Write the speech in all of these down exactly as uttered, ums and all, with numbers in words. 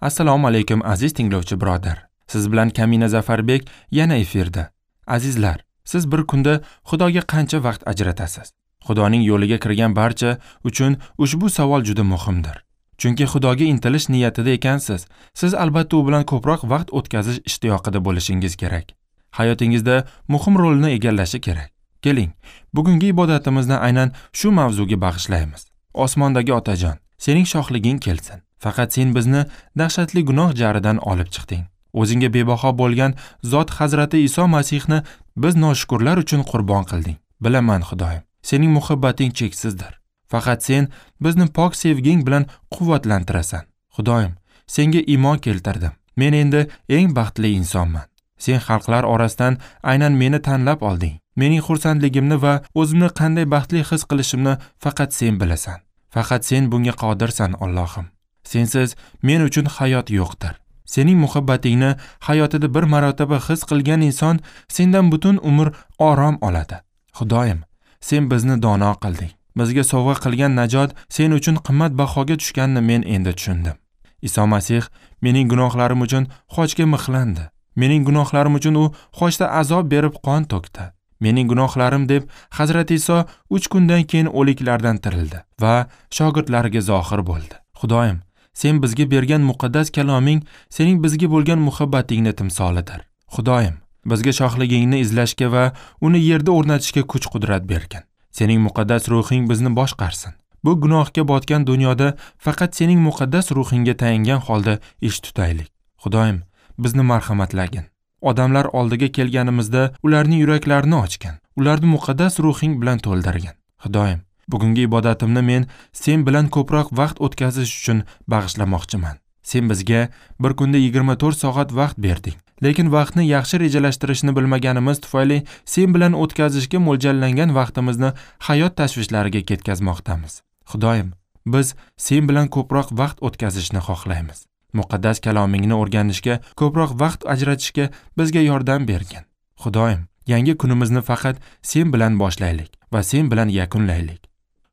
Assalomu alaykum aziz tinglovchi birodar. Siz bilan Kamina Zafarbek yana efirda. Azizlar, siz bir kunda Xudoga qancha vaqt ajratasiz? Xudoning yo'liga kirgan barcha uchun ushbu savol juda muhimdir. Chunki Xudoga intilish niyatida ekansiz, siz albatta u bilan ko'proq vaqt o'tkazish ishtiyoqida bo'lishingiz kerak. Hayotingizda muhim rolni egallashi kerak. Keling, bugungi ibodatimizni aynan shu mavzuga bag'ishlaymiz. Osmondagi Otajon, sening shohliging kelsin. Faqat sen bizni dahshatli gunoh jaridan olib chiqding. O'zingga bebaho bo'lgan zot Hazrati Iso Masihni biz noshukurlar uchun qurbon qilding. Bilaman Xudoyim, sening muhabbating cheksizdir. Faqat sen bizni pok sevging bilan quvvatlantirasan. Xudoyim, senga iymon keltirdim. Men endi eng baxtli insonman. Sen xalqlar orasidan aynan meni tanlab olding. Mening xursandligimni va o'zimni qanday baxtli his qilishimni faqat sen bilasan. Faqat sen bunga qodirsan, Allohim. Sensiz men uchun hayot yo'qdir. Sening muhabbatingni hayotida bir marotaba his qilgan inson sendan butun umr orom oladi. Xudoyim, sen bizni dono qilding. Bizga sovg'a qilgan najot sen uchun qimmat bahoga tushganini men endi tushundim. Iso Masih mening gunohlarim uchun xochga mixlandi. Mening gunohlarim uchun u xochda azob berib qon to'kdi. Mening gunohlarim deb Hazrati Iso uch kundan keyin o'liklardan tirildi va shogirdlariga zohir bo'ldi. Xudoyim, sen bizga bergan muqaddas kaloming sening bizga bo'lgan muhabbatingni timsolidir. Xudoyim, bizga shohligingni izlashga va uni yerda o'rnatishga kuch-qudrat bergin. Sening muqaddas ruhing bizni boshqarsin. Bu gunohga botgan dunyoda faqat sening muqaddas ruhingga tayangan holda ish tutaylik. Xudoyim, bizni marhamatlagin. Odamlar oldiga kelganimizda ularning yuraklarini ochgin, ularni muqaddas ruhing bilan to'ldirgin. Xudoyim, bugungi ibodatimni men sen bilan ko'proq vaqt o'tkazish uchun bag'ishlamoqchiman. Sen bizga bir kunda yigirma to'rt soat vaqt berding. Lekin vaqtni yaxshi rejalashtirishni bilmaganimiz tufayli sen bilan o'tkazishga mo'ljallangan vaqtimizni hayot tashvishlariga ketkazmoqdamiz. Xudoyim, biz sen bilan ko'proq vaqt o'tkazishni xohlaymiz. Muqaddas kalomingni o'rganishga, ko'proq vaqt ajratishga bizga yordam bergin. Xudoyim, yangi kunimizni faqat sen bilan boshlaylik va sen bilan yakunlaylik.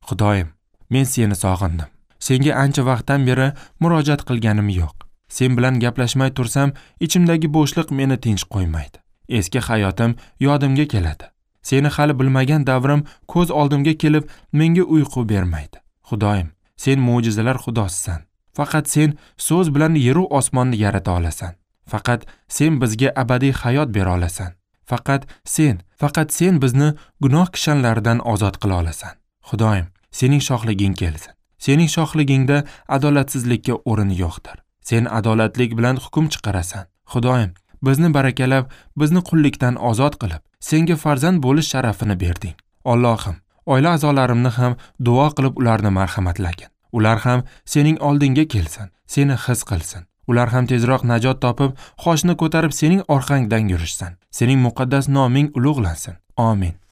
Xudoyim, men seni sog'indim. Senga ancha vaqtdan beri murojaat qilganim yo'q. Sen bilan gaplashmay tursam, ichimdagi bo'shliq meni tinch qo'ymaydi. Eski hayotim yodimga keladi. Seni hali bilmagan davrim ko'z oldimga kelib, menga uyqu bermaydi. Xudoyim, sen mo'jizalar xudosisan. Faqat sen so'z bilan yeru osmonni yarata olasan. Faqat sen bizga abadiy hayot bera olasan. Faqat sen, faqat sen bizni gunoh kishanlaridan ozod qila olasan. Xudoyim, sening shohliging kelsin. Sening shohligingda adolatsizlikka o'rin yo'qdir. Sen adolatlik bilan hukm chiqarasan. Xudoyim, bizni barakalab, bizni qullikdan ozod qilib, senga farzand bo'lish sharafini berding. Allohim, oila a'zolarimni ham duo qilib ularni marhamatlagin. Ular ham sening oldingga kelsin, seni his qilsin. Ular ham tezroq najot topib, xochni ko'tarib sening orqangdan yurishsin. Sening muqaddas noming ulug'lansin. Amin.